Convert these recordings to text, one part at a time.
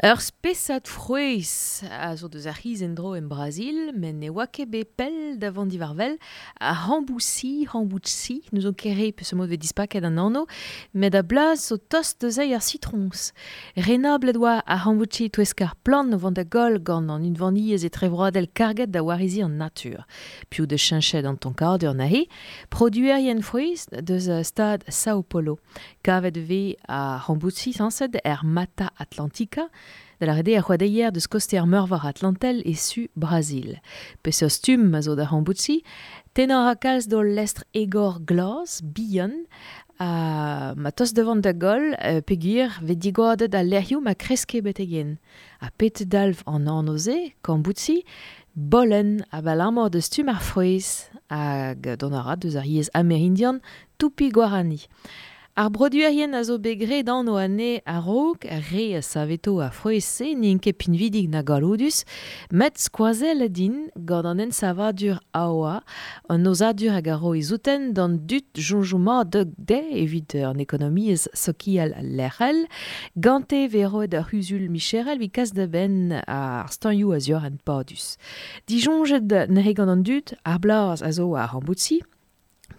Ur spesad frouezh a zo deus ar c'hiz en-dro en Brazil, met ne oa ket bet pell da vont diwar-wel, ar hamboutsi, hamboutsi, n'ouzon ket re peseurt mod 'vez dispaket an anv, met a blas zo tost deus ar sitroñs. Renablet oa ar hamboutsi e-touesk ar plant o vont da goll gant an unvaniezh etrevroadel karget da wareziñ an natur. Piv deus cheñchet an tonkadur neuze? Produerien frouezh deus stad Sao Paulo. Kavet e vez ar hamboutsi sañset er Mata Atlantica, da lâret eo ar c'hoadeier deus koste ar Meurvor Atlantel e su Brazil. Peseurt stumm a zo da hamboutsi? Tennañ a ra kalz d'hol lestr egor glas, bihan, ha ma tost da vont da goll peogwir 'vez digoadet al lec'hioù ma kreske betek-henn. Ha pet dalv an anv-se, kamboutsi? Bolenn, abalamour da stumm ar frouezh, hag dont a ra deus ar yezh amerindian tupi-guarani. Ar broduerien a zo bet graet anv anezhe a-raok, ar re a saveto ar frouezh-se n'int ket pinvidik na galloudus, met skoazellet int gant an ensavadur AOA, an aozadur hag a ro e souten d'an dud soñjoù mat dezhe evit an ekonomiezh sokial lec'hel. Gante e vez roet ur c'huzul micherel evit kas da benn ar steuñioù a-ziorren padus. Disoñjet neuze gant an dud, ar blaz a zo ar ramboutsi,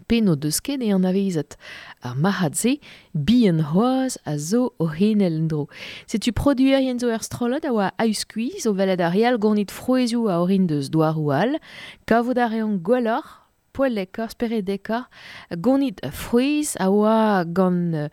pe n'o deus ket e anavezet. Ar marc'had-se, bihan c'hoazh, a zo o c'henel en-dro. Setu produerien zo er strollad a oa a-uskuizh o welet ar re all gonit frouezhioù a orin deus douaroù all. Kavout a reont gwelloc'h, poellekoc'h, speredekoc'h, gonit frouezh a oa gant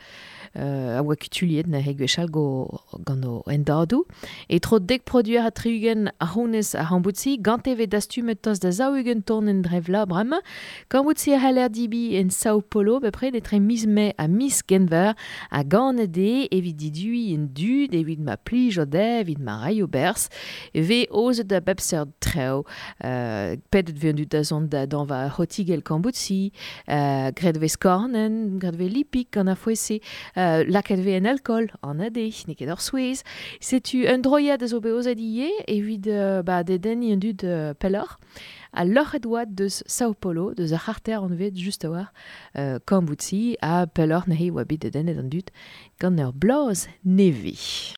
a oa kutuilhet neuze gwechall gant o hendadoù. E-tro dek produer ha 60 a c'hounez ar c'hamboutsi, gante e vez dastumet tost da 40 tonenn dre vloaz bremañ. Kambouti a c'haller debriñ en Sao Paulo bepred etre miz Mae ha miz Genver ha ganet eo evit diduiñ an dud, evit ma plijo dezhe, evit ma raio berzh. E vez aozet a bep seurt traoù. Pedet 'vez an dud da zont da dañva ur c'hotigell kambouti, graet e vez skornenn, graet e vez lipig gant ar frouezh-se, lakaet e vez en alkool, anat eo, n'eo ket ur souezh. Setu un droiad a zo bet aozet ivez evit ba dedenniñ an dud pelloc'h. Ha loc'het oa deus Sao Paulo, deus ar c'harter anvet just a-walc'h Kambouti, ha pelloc'h neuze e oa bet dedennet an dud gant ur blaz nevez.